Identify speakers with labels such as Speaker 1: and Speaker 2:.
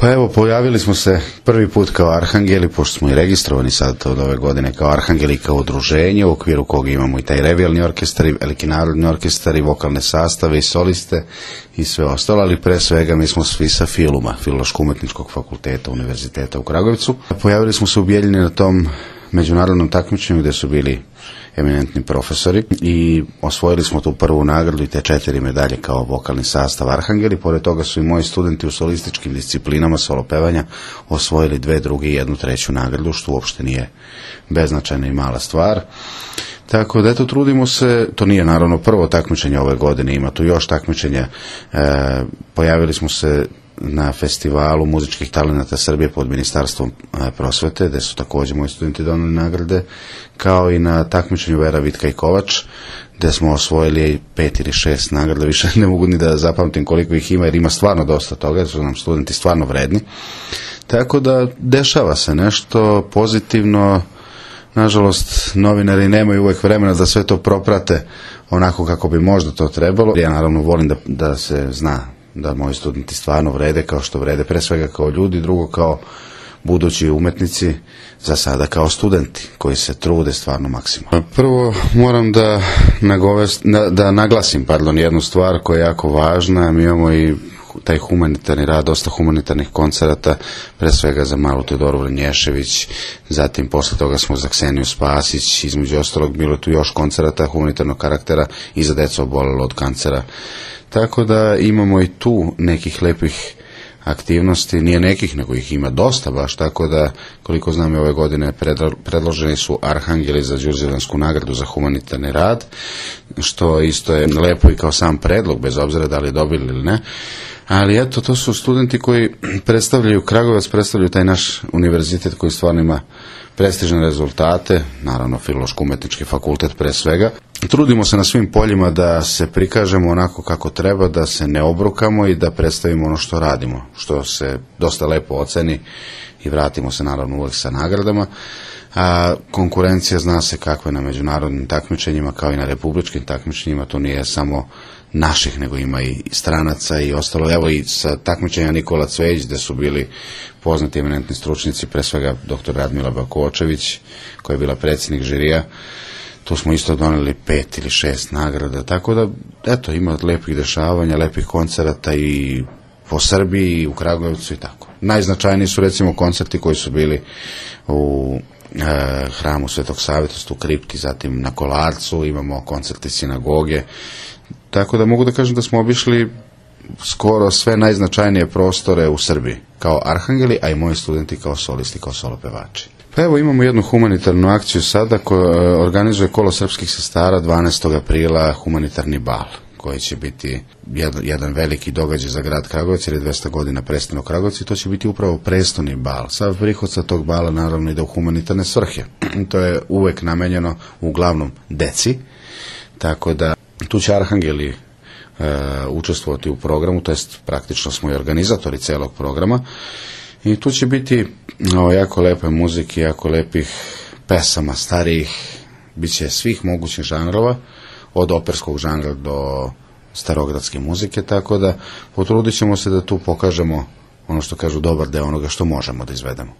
Speaker 1: Pa evo, pojavili smo se prvi put kao Arhangeli, pošto smo i registrovani sad od ove godine kao Arhangeli, kao udruženje, u okviru koga imamo i taj revijalni orkestar, i veliki narodni orkestar, i vokalne sastave, i soliste, i sve ostalo, ali pre svega mi smo svi sa Filuma, Filološko-umetničkog fakulteta Univerziteta u Kragujevcu. Pojavili smo se u Bijeljini na tom međunarodnom takmičenju gde su bili eminentni profesori i osvojili smo tu prvu nagradu i te 4 medalje kao vokalni sastav Arhangeli. Pored toga su i moji studenti u solističkim disciplinama solo pevanja osvojili 2 druge i 1 treću nagradu, što uopšte nije beznačajna i mala stvar. Tako da eto, trudimo se, to nije naravno prvo takmičenje ove godine, ima tu još takmičenja. Pojavili smo se na festivalu muzičkih talenata Srbije pod Ministarstvom prosvete, gde su također moji studenti doneli nagrade, kao i na takmičenju Vera, Vitka i Kovač, gde smo osvojili 5 ili 6 nagrada, više ne mogu ni da zapamtim koliko ih ima, jer ima stvarno dosta toga, jer su nam studenti stvarno vredni. Tako da dešava se nešto pozitivno. Nažalost, novinari nemaju uvek vremena da sve to proprate onako kako bi možda to trebalo. Ja naravno volim da se zna da moji studenti stvarno vrede kao što vrede, pre svega kao ljudi, drugo kao budući umetnici, za sada kao studenti koji se trude stvarno maksimalno. Prvo moram da naglasim jednu stvar koja je jako važna. Mi imamo i taj humanitarni rad, dosta humanitarnih koncerata, pre svega za Malu Teodoru Vranješević, zatim posle toga smo za Kseniju Spasić, između ostalog bilo tu još koncerata humanitarnog karaktera i za decu obolelo od kancera. Tako da imamo i tu nekih lepih aktivnosti, nije nekih, nego ih ima dosta baš, tako da koliko znam i ove godine predloženi su Arhangeli za Đurđevansku nagradu za humanitarni rad, što isto je lepo i kao sam predlog, bez obzira da li dobili ili ne. Ali eto, to su studenti koji predstavljaju Kragujevac, predstavljaju taj naš univerzitet koji stvarno ima prestižne rezultate, naravno Filološko-umetnički fakultet pre svega. Trudimo se na svim poljima da se prikažemo onako kako treba, da se ne obrukamo i da predstavimo ono što radimo, što se dosta lepo oceni i vratimo se naravno uvek sa nagradama. A konkurencija zna se kakva je na međunarodnim takmičenjima kao i na republičkim takmičenjima, to nije samo naših, nego ima i stranaca i ostalo. Evo i sa takmičenja Nikola Cvejić, gde su bili poznati eminentni stručnjaci, pre svega dr. Radmila Bakočević, koja je bila predsjednik žirija, tu smo isto doneli 5 ili 6 nagrada, tako da eto, ima lepih dešavanja, lepih koncerata i po Srbiji i u Kragujevcu i tako. Najznačajniji su recimo koncerti koji su bili u hramu Svetog Savetosta u kripti, zatim na Kolarcu, imamo koncerte sinagoge, tako da mogu da kažem da smo obišli skoro sve najznačajnije prostore u Srbiji, kao Arhangeli, a i moji studenti kao solisti, kao solopevači. Pa evo, imamo jednu humanitarnu akciju sada koja organizuje Kolo srpskih sestara 12. aprila, humanitarni bal, koji će biti jedan veliki događaj za grad Kragujevac, jer je 200 godina prestano Kragujevcu i to će biti upravo prestoni bal. Sav prihod sa tog bala naravno ide u humanitarne svrhe. To je uvek namenjeno uglavnom deci, tako da tu će Arhangeli učestvovati u programu, to jest praktično smo i organizatori celog programa i tu će biti jako lepe muzike, jako lepih pesama starijih, bit će svih mogućih žanrova, od operskog žanra do starogradske muzike, tako da potrudit ćemo se da tu pokažemo ono što kažu dobar deo onoga što možemo da izvedemo.